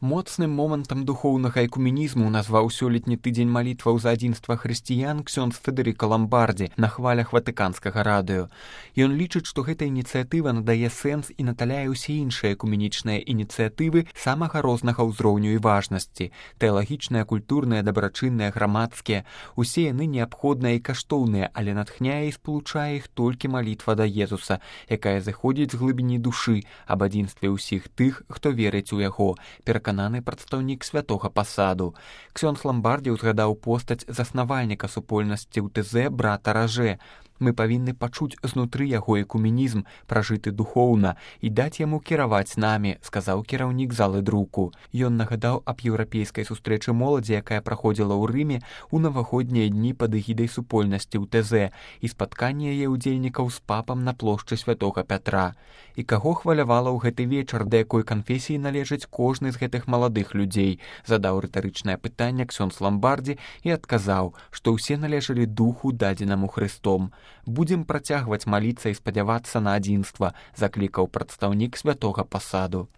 Моцным момантам духоўнага экуменізму назваў сёлетні тыдзень малітваў за адзінства хрысціян ксёндз Федэрыка Ламбардзі на хвалях ватыканскага радыё. Ён лічыць, што гэта ініцыятыва надае сэнс і наталяе ўсе іншыя экуменічныя ініцыятывы самага рознага ўзроўню і важнасці. Тэалагічныя, культурныя, дабрачынныя, грамадскія. Усе яны неабходныя і каштоўныя, але натхняе і спалучае іх толькі малітва да Езуса, якая заходзіць з глыбіні душы аб адзінстве ўсіх тых, хто верыць у яго, перакананы прадстаўнік святога пасаду. Ксёндз Ламбардзі ўзгадаў постаць заснавальніка супольнасці ў ТЗ брата Ражэ. Мы павінны пачуць знутры яго экуменізм, пражыты духоўна, і даць яму кіраваць намі, сказаў кіраўнік залы друку. Ён нагадаў аб еўрапейскай сустрэчы моладзі, якая праходзіла ў Рыме ў навагоднія дні пад эгідай супольнасці ў ТЗ і спатканне яе ўдзельнікаў з папам на плошчы святога Пятра. І каго хвалявала ў гэты вечар, да якой канфесіі належыць кожны з гэтых маладых людзей, задаў рытарычнае пытанне ксёндз Ламбардзі і адказаў, што ўсе належалі духу, дадзенаму Хрыстом. Будзем працягваць маліцца і спадзявацца на адзінства, заклікаў прадстаўнік святога пасаду.